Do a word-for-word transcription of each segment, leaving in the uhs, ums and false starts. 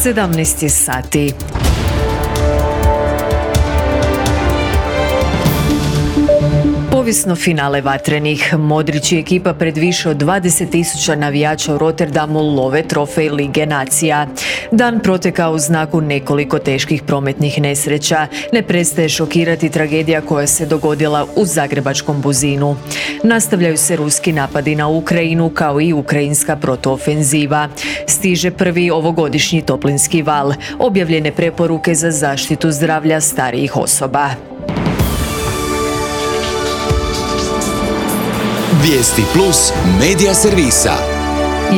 sedamnaest je sati. Povijesno finale vatrenih. Modrić i ekipa pred više od dvadeset tisuća navijača u Rotterdamu love trofej Lige nacija. Dan protekao u znaku nekoliko teških prometnih nesreća. Ne prestaje šokirati tragedija koja se dogodila u zagrebačkom Buzinu. Nastavljaju se ruski napadi na Ukrajinu kao i ukrajinska protuofenziva. Stiže prvi ovogodišnji toplinski val. Objavljene preporuke za zaštitu zdravlja starijih osoba. Vijesti plus medija servisa.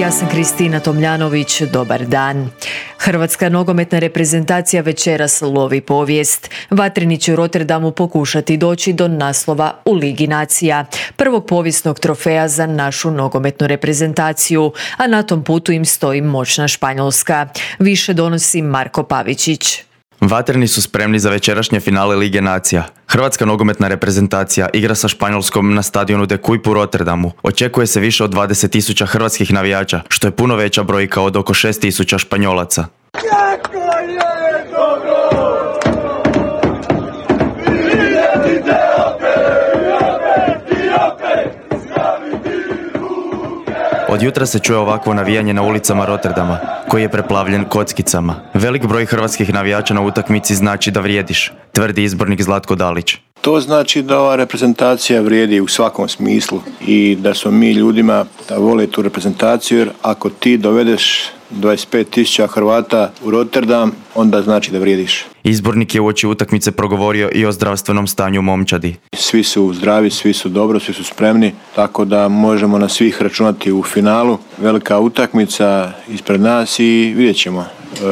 Ja sam Kristina Tomljanović, dobar dan. Hrvatska nogometna reprezentacija večeras lovi povijest. Vatreni će u Rotterdamu pokušati doći do naslova u Ligi nacija, prvog povijesnog trofeja za našu nogometnu reprezentaciju, a na tom putu im stoji moćna Španjolska. Više donosi Marko Pavičić. Vatreni su spremni za večerašnje finale Lige nacija. Hrvatska nogometna reprezentacija igra sa Španjolskom na stadionu De Kuip u Rotterdamu. Očekuje se više od dvadeset tisuća hrvatskih navijača, što je puno veća brojka od oko šest tisuća Španjolaca. Od jutra se čuje ovakvo navijanje na ulicama Rotterdama, koji je preplavljen kockicama. Velik broj hrvatskih navijača na utakmici znači da vrijediš, tvrdi izbornik Zlatko Dalić. To znači da ova reprezentacija vrijedi u svakom smislu i da smo mi ljudima da vole tu reprezentaciju, jer ako ti dovedeš dvadeset pet tisuća Hrvata u Rotterdam, onda znači da vrijediš. Izbornik je uoči utakmice progovorio i o zdravstvenom stanju u momčadi. Svi su zdravi, svi su dobro, svi su spremni, tako da možemo na svih računati u finalu. Velika utakmica ispred nas i vidjet ćemo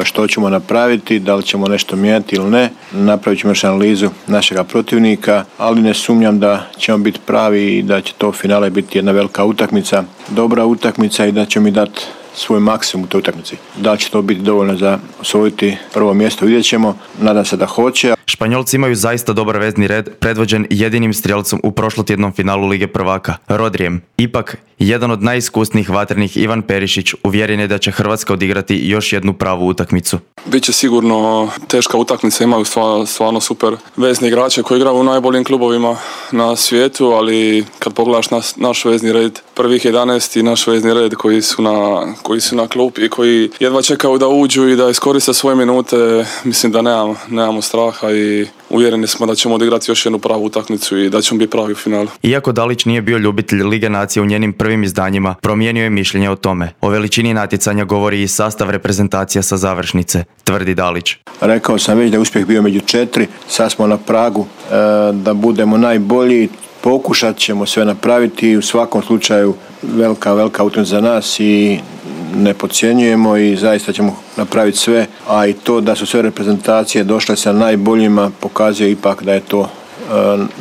što ćemo napraviti, da li ćemo nešto mijenjati ili ne. Napravit ćemo još analizu našega protivnika, ali ne sumnjam da ćemo biti pravi i da će to finale biti jedna velika utakmica, dobra utakmica i da će mi dati svoj maksimum u toj utakmici. Da li će to biti dovoljno za osvojiti prvo mjesto, vidjet ćemo. Nadam se da hoće. Španjolci imaju zaista dobar vezni red, predvođen jedinim strijelcom u prošlotjednom finalu Lige prvaka, Rodrijem. Ipak, jedan od najiskusnijih vatrenih, Ivan Perišić, uvjeren je da će Hrvatska odigrati još jednu pravu utakmicu. Biće sigurno teška utakmica, imaju stvarno, stvarno super vezni igrače koji igraju u najboljim klubovima na svijetu, ali kad pogledaš nas, naš vezni red, prvih jedanaest i naš vezni red koji su na, koji su na klupi i koji jedva čekaju da uđu i da iskoriste svoje minute, mislim da nemamo, nemamo straha i uvjereni smo da ćemo odigrati još jednu pravu utakmicu i da ćemo biti pravi u finalu. Iako Dalić nije bio ljubitelj Lige nacije u njenim prvim izdanjima, promijenio je mišljenje o tome. O veličini natjecanja govori i sastav reprezentacija sa završnice, tvrdi Dalić. Rekao sam već da je uspjeh bio među četiri, sad smo na pragu e, da budemo najbolji. Pokušat ćemo sve napraviti, u svakom slučaju velika, velika utakmica za nas i ne podcjenjujemo i zaista ćemo napraviti sve, a i to da su sve reprezentacije došle sa najboljima pokazuje ipak da je to e,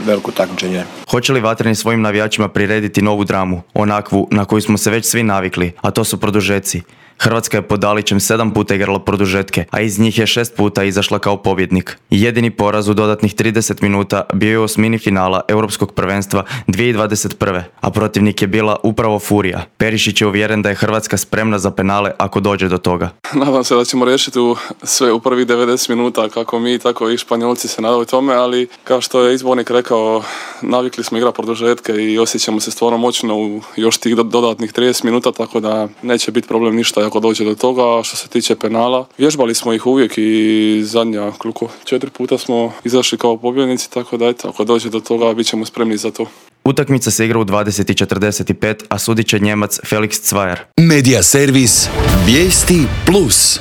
veliko takmičenje. Hoće li Vatreni svojim navijačima prirediti novu dramu, onakvu na koju smo se već svi navikli, a to su produžeci? Hrvatska je pod Dalićem sedam puta igrala produžetke, a iz njih je šest puta izašla kao pobjednik. Jedini poraz u dodatnih trideset minuta bio je u osmini finala Europskog prvenstva dvije tisuće dvadeset prve, a protivnik je bila upravo Furija. Perišić je uvjeren da je Hrvatska spremna za penale ako dođe do toga. Nadam se da ćemo riješiti u sve u prvih devedeset minuta, kako mi, tako i Španjolci se nadaju tome, ali kao što je izbornik rekao, navikli smo igrati produžetke i osjećamo se stvarno moćno u još tih dodatnih trideset minuta, tako da neće biti problem ništa ako dođe do toga. Što se tiče penala, vježbali smo ih uvijek i zadnja koliko četiri puta smo izašli kao pobjednici, tako da eto, ako dođe do toga bit ćemo spremni za to. Utakmica se igra u dvadeset i četrdeset pet, a sudit će Njemac Felix Cvajer. Medija servis Vijesti plus.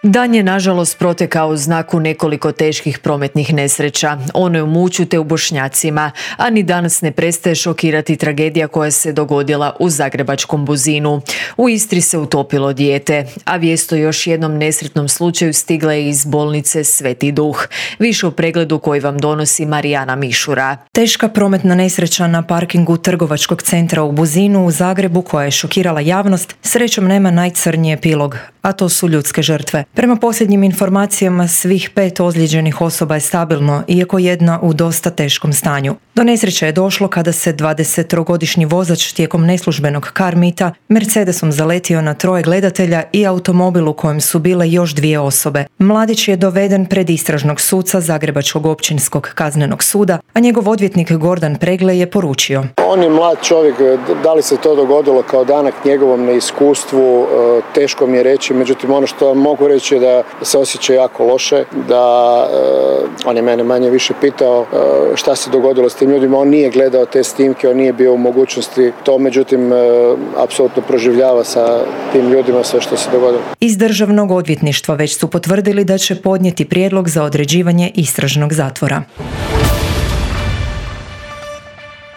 Dan je nažalost protekao u znaku nekoliko teških prometnih nesreća. Ono je u Muću te u Bošnjacima, a ni danas ne prestaje šokirati tragedija koja se dogodila u zagrebačkom Buzinu. U Istri se utopilo dijete, a vijest o još jednom nesretnom slučaju stigla je iz bolnice Sveti Duh. Više u pregledu koji vam donosi Marijana Mišura. Teška prometna nesreća na parkingu trgovačkog centra u Buzinu u Zagrebu koja je šokirala javnost, srećom nema najcrnji epilog, a to su ljudske žrtve. Prema posljednjim informacijama svih pet ozlijeđenih osoba je stabilno, iako jedna u dosta teškom stanju. Do nesreće je došlo kada se dvadesettrogodišnji vozač tijekom neslužbenog car meeta Mercedesom zaletio na troje gledatelja i automobil u kojem su bile još dvije osobe. Mladić je doveden pred istražnog suca Zagrebačkog općinskog kaznenog suda, a njegov odvjetnik Gordan Pregle je poručio: On je mlad čovjek, da li se to dogodilo kao danak njegovom neiskustvu, teško mi je reći, međutim ono što mogu reći je da se osjeća jako loše, da on je mene manje više pitao šta se dogodilo s tim ljudima, on nije gledao te snimke, on nije bio u mogućnosti to, međutim apsolutno proživljava sa tim ljudima sve što se dogodilo. Iz državnog odvjetništva već su potvrdili da će podnijeti prijedlog za određivanje istražnog zatvora.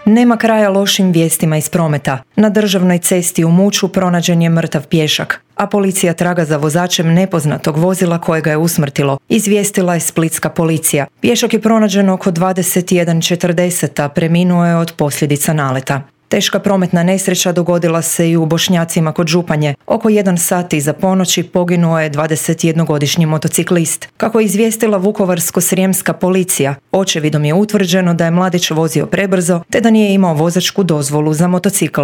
Nema kraja lošim vijestima iz prometa. Na državnoj cesti u Muću pronađen je mrtav pješak, a policija traga za vozačem nepoznatog vozila kojega je usmrtilo, izvijestila je splitska policija. Pješak je pronađen oko dvadeset jedan četrdeset, a preminuo je od posljedica naleta. Teška prometna nesreća dogodila se i u Bošnjacima kod Županje. Oko jedan sat iza ponoći poginuo je dvadesetjednogodišnji motociklist. Kako je izvijestila vukovarsko-srijemska policija, očevidom je utvrđeno da je mladić vozio prebrzo te da nije imao vozačku dozvolu za motocikl.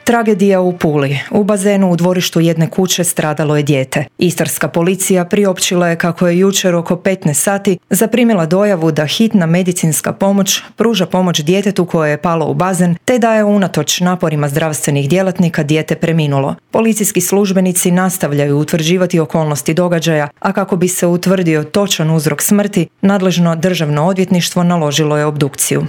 Tragedija u Puli. U bazenu u dvorištu jedne kuće stradalo je dijete. Istarska policija priopćila je kako je jučer oko petnaest sati zaprimila dojavu da hitna medicinska pomoć pruža pomoć djetetu koje je palo u bazen, te da je unatoč naporima zdravstvenih djelatnika dijete preminulo. Policijski službenici nastavljaju utvrđivati okolnosti događaja, a kako bi se utvrdio točan uzrok smrti, nadležno državno odvjetništvo naložilo je obdukciju.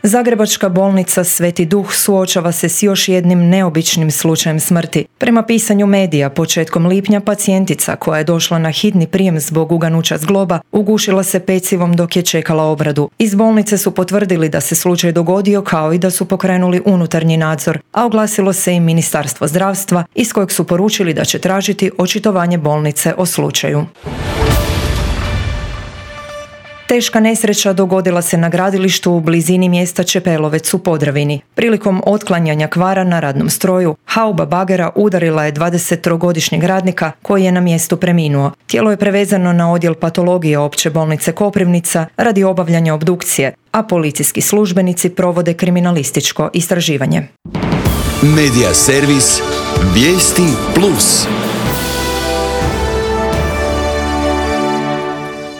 Zagrebačka bolnica Sveti Duh suočava se s još jednim neobičnim slučajem smrti. Prema pisanju medija, početkom lipnja pacijentica koja je došla na hitni prijem zbog uganuća zgloba ugušila se pecivom dok je čekala obradu. Iz bolnice su potvrdili da se slučaj dogodio, kao i da su pokrenuli unutarnji nadzor, a oglasilo se i Ministarstvo zdravstva iz kojeg su poručili da će tražiti očitovanje bolnice o slučaju. Teška nesreća dogodila se na gradilištu u blizini mjesta Čepelovec u Podravini. Prilikom otklanjanja kvara na radnom stroju, hauba bagera udarila je dvadesettrogodišnjeg radnika koji je na mjestu preminuo. Tijelo je prevezano na odjel patologije Opće bolnice Koprivnica radi obavljanja obdukcije, a policijski službenici provode kriminalističko istraživanje. Medija servis Vijesti plus.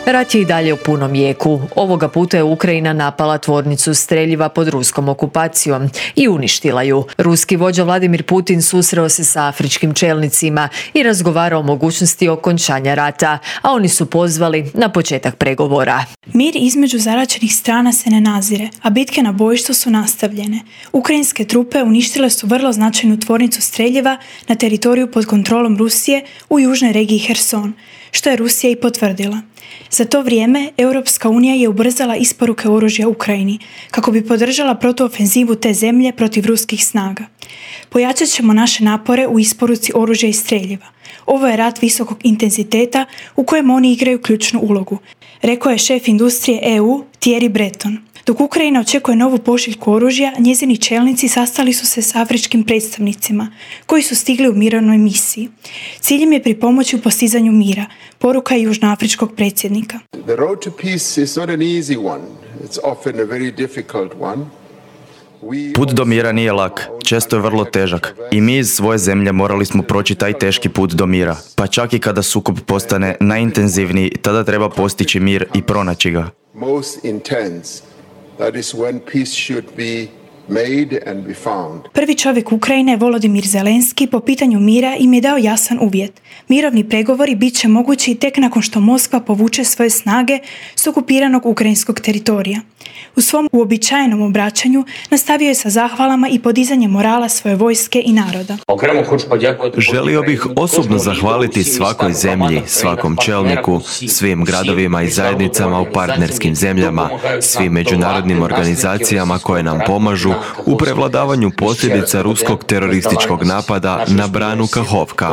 Rat je i dalje u punom jeku. Ovoga puta je Ukrajina napala tvornicu streljiva pod ruskom okupacijom i uništila ju. Ruski vođa Vladimir Putin susreo se sa afričkim čelnicima i razgovarao o mogućnosti okončanja rata, a oni su pozvali na početak pregovora. Mir između zaraćenih strana se ne nazire, a bitke na bojištu su nastavljene. Ukrajinske trupe uništile su vrlo značajnu tvornicu streljiva na teritoriju pod kontrolom Rusije u južnoj regiji Herson, što je Rusija i potvrdila. Za to vrijeme Europska unija je ubrzala isporuke oružja Ukrajini kako bi podržala protuofenzivu te zemlje protiv ruskih snaga. Pojačat ćemo naše napore u isporuci oružja i streljiva. Ovo je rat visokog intenziteta u kojem oni igraju ključnu ulogu, rekao je šef industrije E U Thierry Breton. Dok Ukrajina očekuje novu pošiljku oružja, njezini čelnici sastali su se s afričkim predstavnicima koji su stigli u mirovnoj misiji. Ciljem je pripomoći u postizanju mira, poruka je južnoafričkog predsjednika. The road to peace is not an easy one. It's often a very difficult one. Put do mira nije lak, često je vrlo težak. I mi iz svoje zemlje morali smo proći taj teški put do mira. Pa čak i kada sukob postane najintenzivniji, tada treba postići mir i pronaći ga. Most intense. That is when peace should be made and be found. Prvi čovjek Ukrajine, Volodimir Zelenski, po pitanju mira im je dao jasan uvjet. Mirovni pregovori bit će mogući tek nakon što Moskva povuče svoje snage s okupiranog ukrajinskog teritorija. U svom uobičajenom obraćanju nastavio je sa zahvalama i podizanjem morala svoje vojske i naroda. Želio bih osobno zahvaliti svakoj zemlji, svakom čelniku, svim gradovima i zajednicama u partnerskim zemljama, svim međunarodnim organizacijama koje nam pomažu u prevladavanju posljedica ruskog terorističkog napada na branu Kahovka.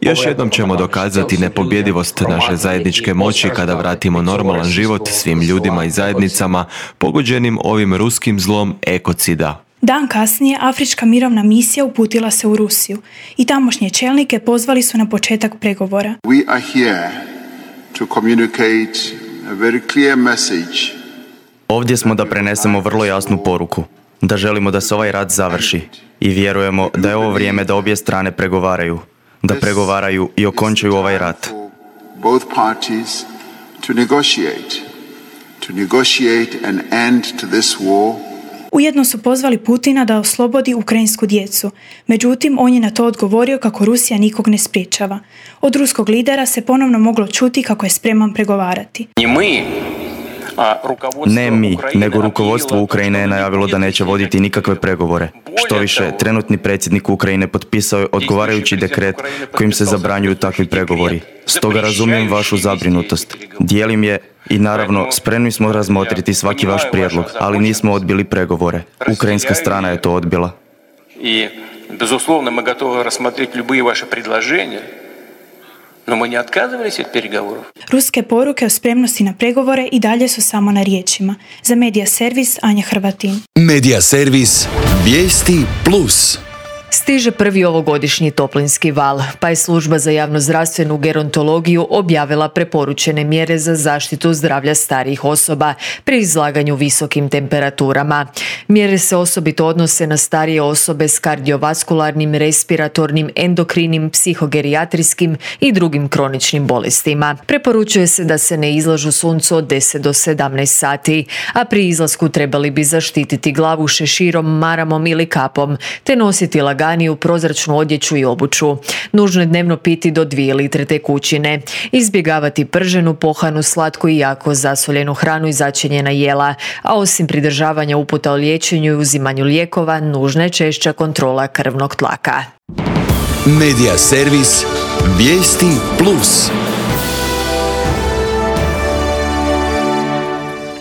Još jednom ćemo dokazati nepobjedivost naše zajedničke moći kada vratimo normalan život svim ljudima i zajednicama pogođenim ovim ruskim zlom ekocida. Dan kasnije Afrička mirovna misija uputila se u Rusiju i tamošnje čelnike pozvali su na početak pregovora. We are here to communicate a very clear message. Ovdje smo da prenesemo vrlo jasnu poruku, da želimo da se ovaj rat završi i vjerujemo da je ovo vrijeme da obje strane pregovaraju, da pregovaraju i okončaju ovaj rat. Both parties to negotiate, to negotiate an end to this war. Ujedno su pozvali Putina da oslobodi ukrajinsku djecu. Međutim, on je na to odgovorio kako Rusija nikog ne sprječava. Od ruskog lidera se ponovno moglo čuti kako je spreman pregovarati. Ne mi, nego rukovodstvo Ukrajine je najavilo da neće voditi nikakve pregovore. Što više, trenutni predsjednik Ukrajine potpisao je odgovarajući dekret kojim se zabranjuju takvi pregovori. Stoga razumijem vašu zabrinutost. Dijelim je i naravno spremni smo razmotriti svaki vaš prijedlog, ali nismo odbili pregovore. Ukrajinska strana je to odbila. I bezuslovno mi gotovi razmotriti любые vaše предложения. No mi ne odkazivались od переговоров. Ruske poruke o spremnosti na pregovore i dalje su samo na riječima. Za Medija Servis, Anja Hrvatin. Medija Servis, vijesti plus. Stiže prvi ovogodišnji toplinski val, pa je služba za javnozdravstvenu gerontologiju objavila preporučene mjere za zaštitu zdravlja starijih osoba pri izlaganju visokim temperaturama. Mjere se osobito odnose na starije osobe s kardiovaskularnim, respiratornim, endokrinim, psihogerijatrijskim i drugim kroničnim bolestima. Preporučuje se da se ne izlažu suncu od deset do sedamnaest sati, a pri izlasku trebali bi zaštititi glavu šeširom, maramom ili kapom, te nositi laganiju prozračnu odjeću i obuću. Nužno je dnevno piti do dvije litre tekućine. Izbjegavati prženu, pohanu, slatku i jako zasoljenu hranu i začinjena jela, a osim pridržavanja uputa o liječenju i uzimanju lijekova, nužna je češća kontrola krvnog tlaka. Medija Servis, vijesti plus.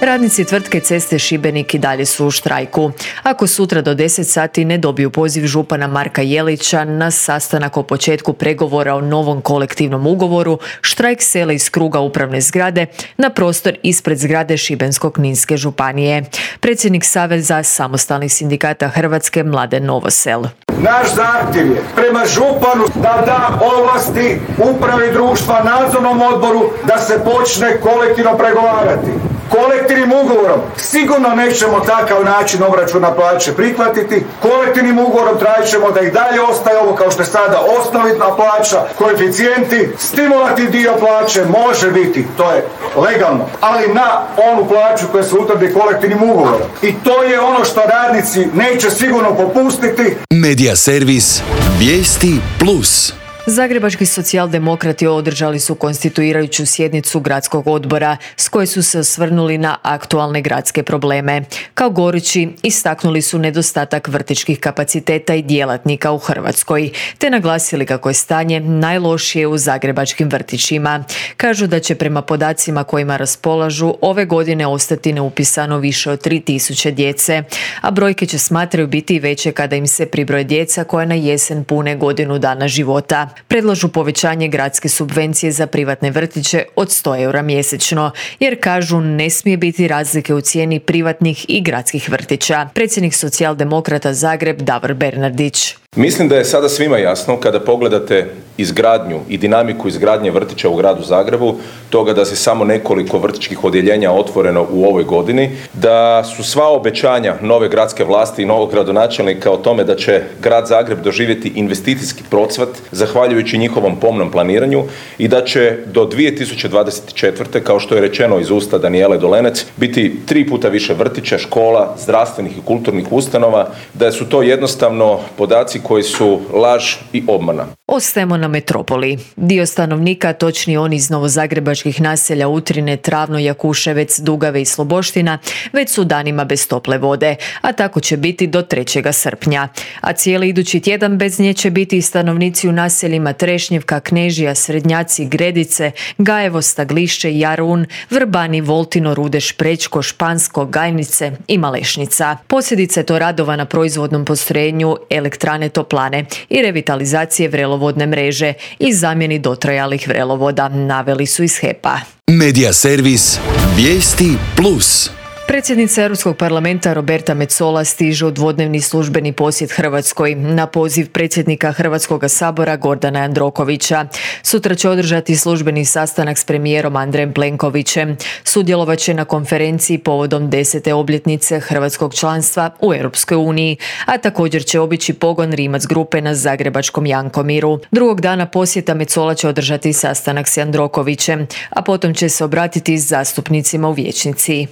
Radnici tvrtke Ceste Šibenik i dalje su u štrajku. Ako sutra do deset sati ne dobiju poziv župana Marka Jelića na sastanak o početku pregovora o novom kolektivnom ugovoru, štrajk sele iz kruga upravne zgrade na prostor ispred zgrade Šibensko-kninske županije. Predsjednik Saveza samostalnih sindikata Hrvatske Mladen Novosel. Naš zahtjev je prema županu da da ovlasti upravi društva, nadzornom odboru da se počne kolektivno pregovarati. Kolektivnim ugovorom sigurno nećemo takav način obračuna plaće prihvatiti. Kolektivnim ugovorom tražit ćemo da i dalje ostaje ovo kao što je sada osnovna plaća, koeficijenti, stimulati dio plaće može biti, to je legalno, ali na onu plaću koja se utvrdi kolektivnim ugovorom. I to je ono što radnici neće sigurno popustiti. Medija Servis, vijesti plus. Zagrebački socijaldemokrati održali su konstituirajuću sjednicu gradskog odbora s koje su se osvrnuli na aktualne gradske probleme. Kao gorući istaknuli su nedostatak vrtićkih kapaciteta i djelatnika u Hrvatskoj, te naglasili kako je stanje najlošije u zagrebačkim vrtićima. Kažu da će prema podacima kojima raspolažu ove godine ostati neupisano više od tri tisuće djece, a brojke će smatraju biti veće kada im se pribroje djeca koja na jesen pune godinu dana života. Predlažu povećanje gradske subvencije za privatne vrtiće od sto eura mjesečno, jer kažu ne smije biti razlike u cijeni privatnih i gradskih vrtića. Predsjednik socijaldemokrata Zagreb Davor Bernardić. Mislim da je sada svima jasno kada pogledate izgradnju i dinamiku izgradnje vrtića u gradu Zagrebu, toga da se samo nekoliko vrtićkih odjeljenja otvoreno u ovoj godini, da su sva obećanja nove gradske vlasti i novog gradonačelnika o tome da će grad Zagreb doživjeti investicijski procvat zahvaljujući njihovom pomnom planiranju i da će do dvije tisuće dvadeset četvrte. kao što je rečeno iz usta Danijele Dolenec, biti tri puta više vrtića, škola, zdravstvenih i kulturnih ustanova, da su to jednostavno podaci koji su laž i obmana. Ostajemo na metropoli. Dio stanovnika, točnije oni iz novozagrebačkih naselja Utrine, Travno, Jakuševec, Dugave i Sloboština, već su danima bez tople vode, a tako će biti do trećeg srpnja. A cijeli idući tjedan bez nje će biti i stanovnici u naseljima Trešnjevka, Knežija, Srednjaci, Gredice, Gajevo, Staglišće, Jarun, Vrbani, Voltino, Rudeš, Prečko, Špansko, Gajnice i Malešnica. Posljedica je to radova na proizvodnom postrojenju elektrane Toplane i revitalizacije vrelovodne mreže i zamjeni dotrajalih vrelovoda, naveli su iz H E P-a. Medija Servis, vijesti plus. Predsjednica Europskog parlamenta Roberta Metsola stiže u dvodnevni službeni posjet Hrvatskoj na poziv predsjednika Hrvatskog sabora Gordana Jandrokovića. Sutra će održati službeni sastanak s premijerom Andrejem Plenkovićem. Sudjelovat će na konferenciji povodom desete obljetnice hrvatskog članstva u Europskoj uniji, a također će obići pogon Rimac grupe na zagrebačkom Jankomiru. Drugog dana posjeta Metsola će održati sastanak s Jandrokovićem, a potom će se obratiti zastupnicima u vijećnici.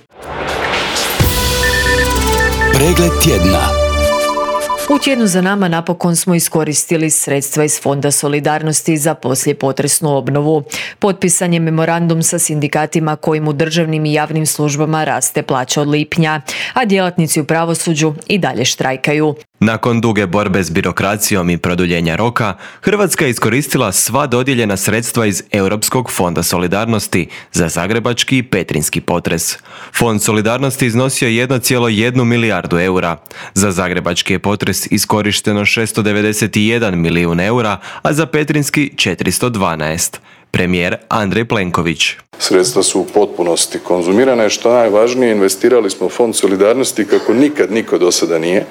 Pregled tjedna. U tjednu za nama napokon smo iskoristili sredstva iz Fonda solidarnosti za poslijepotresnu obnovu. Potpisan je memorandum sa sindikatima kojim u državnim i javnim službama raste plaća od lipnja, a djelatnici u pravosuđu i dalje štrajkaju. Nakon duge borbe s birokracijom i produljenja roka, Hrvatska je iskoristila sva dodijeljena sredstva iz Europskog fonda solidarnosti za zagrebački i petrinjski potres. Fond solidarnosti iznosio jedan zarez jedan milijardu eura. Za zagrebački je potres iskorišteno šesto devedeset jedan milijun eura, a za petrinjski četiristo dvanaest. Premijer Andrej Plenković. Sredstva su u potpunosti konzumirane, što najvažnije, investirali smo u Fond solidarnosti kako nikad niko do sada nije,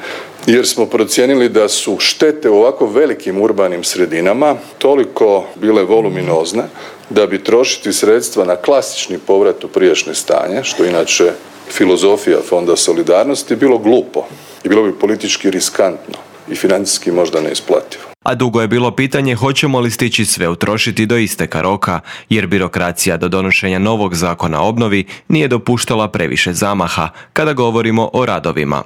jer smo procijenili da su štete u ovako velikim urbanim sredinama toliko bile voluminozne da bi trošiti sredstva na klasični povrat u prijašnje stanje, što inače filozofija Fonda solidarnosti, bilo glupo i bilo bi politički riskantno i financijski možda neisplativo. A dugo je bilo pitanje hoćemo li stići sve utrošiti do isteka roka, jer birokracija do donošenja novog zakona o obnovi nije dopuštala previše zamaha kada govorimo o radovima.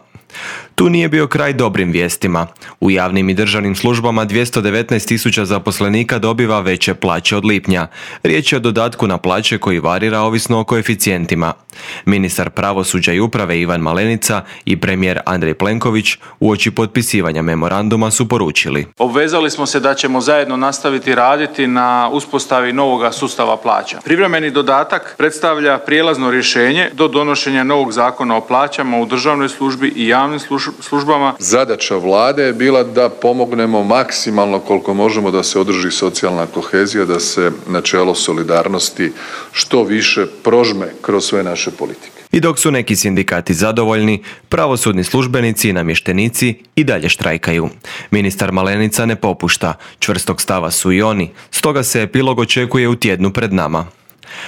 Tu nije bio kraj dobrim vijestima. U javnim i državnim službama dvjesto devetnaest tisuća zaposlenika dobiva veće plaće od lipnja. Riječ je o dodatku na plaće koji varira ovisno o koeficijentima. Ministar pravosuđa i uprave Ivan Malenica i premijer Andrej Plenković uoči potpisivanja memoranduma su poručili: obvezali smo se da ćemo zajedno nastaviti raditi na uspostavi novoga sustava plaća. Privremeni dodatak predstavlja prijelazno rješenje do donošenja novog zakona o plaćama u državnoj službi i javnim službama. Zadaća vlade je bila da pomognemo maksimalno koliko možemo da se održi socijalna kohezija, da se načelo solidarnosti što više prožme kroz sve naše politike. I dok su neki sindikati zadovoljni, pravosudni službenici i namještenici i dalje štrajkaju. Ministar Malenica ne popušta, čvrstog stava su i oni, stoga se epilog očekuje u tjednu pred nama.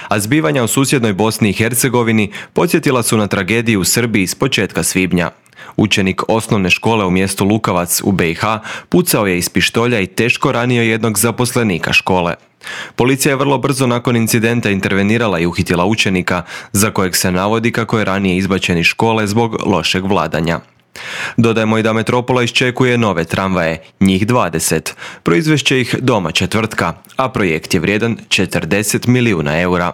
A zbivanja u susjednoj Bosni i Hercegovini podsjetila su na tragediju u Srbiji s početka svibnja. Učenik osnovne škole u mjestu Lukavac u be i ha pucao je iz pištolja i teško ranio jednog zaposlenika škole. Policija je vrlo brzo nakon incidenta intervenirala i uhitila učenika, za kojeg se navodi kako je ranije izbačen iz škole zbog lošeg vladanja. Dodajmo i da Metropola iščekuje nove tramvaje, njih dvadeset. Proizvest će ih domaća tvrtka, a projekt je vrijedan četrdeset milijuna eura.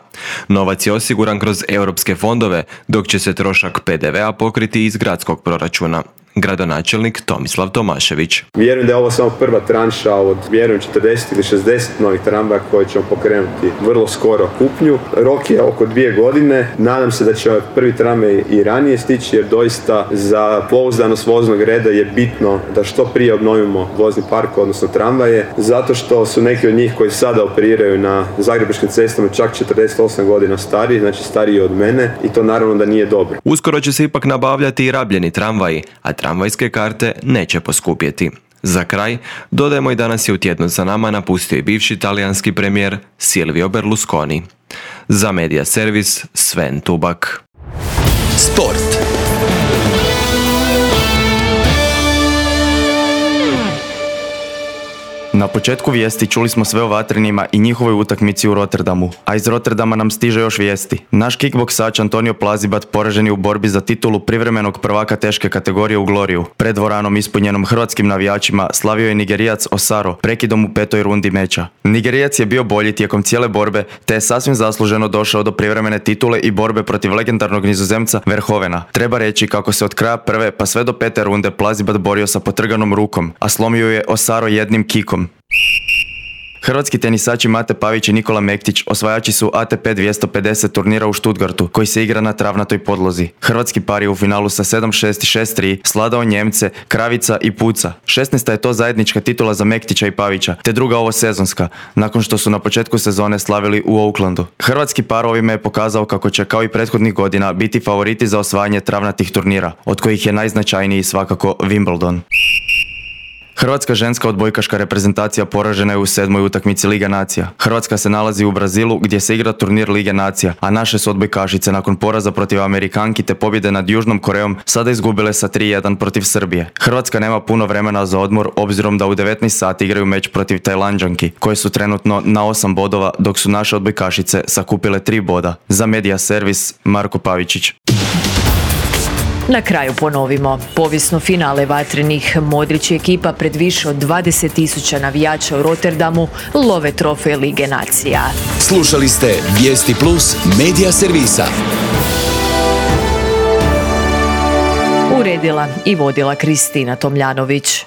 Novac je osiguran kroz europske fondove, dok će se trošak pe de vea pokriti iz gradskog proračuna. Gradonačelnik Tomislav Tomašević. Vjerujem da je ovo samo prva tranša od, vjerujem, četrdeset ili šezdeset novih tramvaja koje ćemo pokrenuti vrlo skoro kupnju. Rok je oko dvije godine. Nadam se da će prvi tramvaj i ranije stići, jer doista za pouzdanost voznog reda je bitno da što prije obnovimo vozni park, odnosno tramvaje, zato što su neki od njih koji sada operiraju na zagrebačkim cestama čak četrdeset osam godina stariji, znači stariji od mene, i to naravno da nije dobro. Uskoro će se ipak nabavljati i rabljeni tramvaji, a tramvajske karte neće poskupjeti. Za kraj, dodajemo i danas je u tjednu za nama napustio i bivši talijanski premijer Silvio Berlusconi. Za Media Servis, Sven Tubak. Sport. Na početku vijesti čuli smo sve o vatrenima i njihovoj utakmici u Rotterdamu, a iz Rotterdama nam stiže još vijesti. Naš kickboksač Antonio Plazibat poražen je u borbi za titulu privremenog prvaka teške kategorije u Gloriju. Pred dvoranom ispunjenom hrvatskim navijačima slavio je Nigerijac Osaro prekidom u petoj rundi meča. Nigerijac je bio bolji tijekom cijele borbe, te je sasvim zasluženo došao do privremene titule i borbe protiv legendarnog Nizozemca Verhovena. Treba reći kako se od kraja prve pa sve do pete runde Plazibat borio sa potrganom rukom, a slomio je Osaro jednim kikom. Hrvatski tenisači Mate Pavić i Nikola Mektić osvajači su A T P dvjesto pedeset turnira u Stuttgartu, koji se igra na travnatoj podlozi. Hrvatski par je u finalu sa sedam šest i šest tri sladao Njemce, Kravica i Puca. šesnaesta je to zajednička titula za Mektića i Pavića, te druga ovo sezonska, nakon što su na početku sezone slavili u Aucklandu. Hrvatski par ovime je pokazao kako će kao i prethodnih godina biti favoriti za osvajanje travnatih turnira, od kojih je najznačajniji svakako Wimbledon. Hrvatska ženska odbojkaška reprezentacija poražena je u sedmoj utakmici Lige nacija. Hrvatska se nalazi u Brazilu gdje se igra turnir Lige nacija, a naše su odbojkašice nakon poraza protiv Amerikanki te pobjede nad Južnom Korejom sada izgubile sa tri jedan protiv Srbije. Hrvatska nema puno vremena za odmor obzirom da u devetnaest sati igraju meč protiv Tajlanđanki, koje su trenutno na osam bodova, dok su naše odbojkašice sakupile tri boda. Za Medija servis Marko Pavičić. Na kraju ponovimo. Povijesno finale vatrenih Modrić i ekipa pred više od dvadeset tisuća navijača u Rotterdamu love trofej Lige nacija. Slušali ste Vijesti Plus Medija servisa. Uredila i vodila Kristina Tomljanović.